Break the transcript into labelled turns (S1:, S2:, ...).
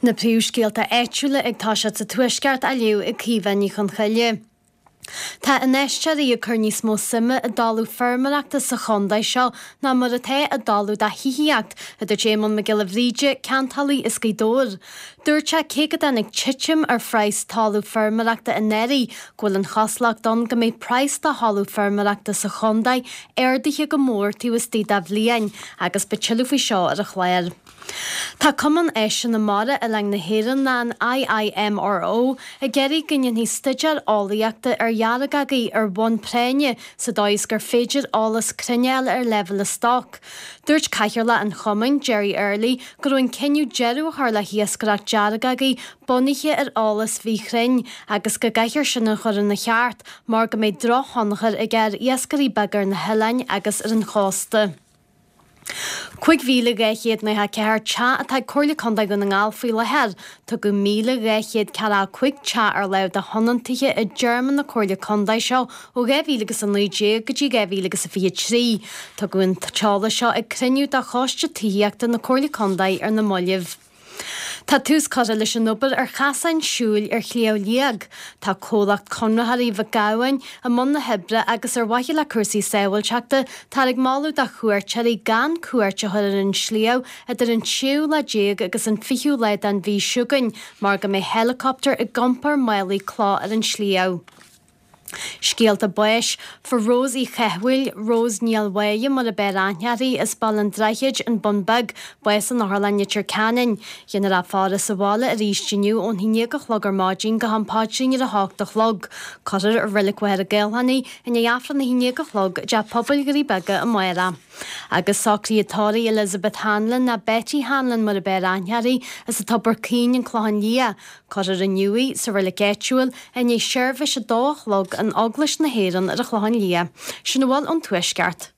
S1: Na príomhscéalta áitiúla ag toiseacht sa Tuaisceart á léamh ag Caoimhe Ní Chonchoille. Tá infheisteoirí ag cur níos mó suime i dtalamh feirmeoireachta sa chontae seo ná mar atá i dtalamh do thithíocht, a dúirt Éamonn Mac Giolla Bhríde, ceantálaí as Gaoth Dobhair. Dúirt sé cé go dtáinig titim ar phraghas talamh feirmeoireachta anuraidh, go bhfuil an chosúlacht ann go mbeidh praghas do thalamh feirmeoireachta sa chontae ardaithe go mór taobh istigh de bhliain agus beidh tuilleadh faoi seo ar an chlár. Tá Cumann Áiseanna Mara Oileáin na hÉireann, ná an IIMRO, ag iarraidh go ndéanfaí staidéar eolaíochta ar dheargagaí ar bhonn práinne sa dóigh is gur féidir eolas cruinn a fháil ar leibhéil an stoc. Dúirt Cathaoirleach an chumainn, Gerry Early, go raibh an cinneadh deireadh a chur le hiascaireacht deargagaí bunaithe ar eolas mhíchruinn agus go gcaithfear sin a chur ina cheart mar go mbeidh drochthionchar aige ar iascairí beaga ar na hoileáin agus ar an chósta. 5,294 teach atá ag Comhairle Contae Dhún na nGall faoi láthair. Tugadh 1,245 teach ar láimh do thionóntaithe i dtéarma na Comhairle Contae seo ó 2019 go dtí 2023. Tugadh an t-eolas seo ag cruinniú de Choiste Tithíochta na Comhairle Contae ar na mallaibh. Tá tús curtha leis an obair ar chasáin siúil ar Shliabh Liag. Tá comhlacht Conraitheoirí Mhic Gabhann i mbun na hoibre agus ar mhaithe le cúrsaí sábháilteachta, táthar ag moladh do chuairteoirí gan cuairt a chur ar an sliabh idir an tséú lá déag agus an fichiú lá den mhí seo chugainn mar go mbeidh helicopter ag iompar málaí cloch ar an sliabh. Scéalta báis, Fuair Rose Uí Chathmhaoil, Rose Ní Mháille mar ab fhearr aithne uirthi, as Baile an Droichid, An Bun Beag, bás in Otharlann Leitir Ceanainn. Dhéanfar a faire sa bhaile arís inniu ón haon déag a chlog ar maidin go ham paidrín ar a hocht a chlog. Cuirfear i Reilig Mhachaire Gathlán í i ndiaidh Aifreann a haon déag a chlog i dTeach Pobail Dhoirí Beaga amárach. Agus socruithe tórraimh Elizabeth Hanlon, ná Betty Hanlon mar ab fhearr aithne uirthi, as an Tobar Caoin, An Clochán Liath. Cuirfear inniu í sa reilig áitiúil i ndiaidh seirbhís a dó a chlog in Eaglais na hÉireann ar an Chlochán Liath. Sin a bhfuil ón Tuaisceart.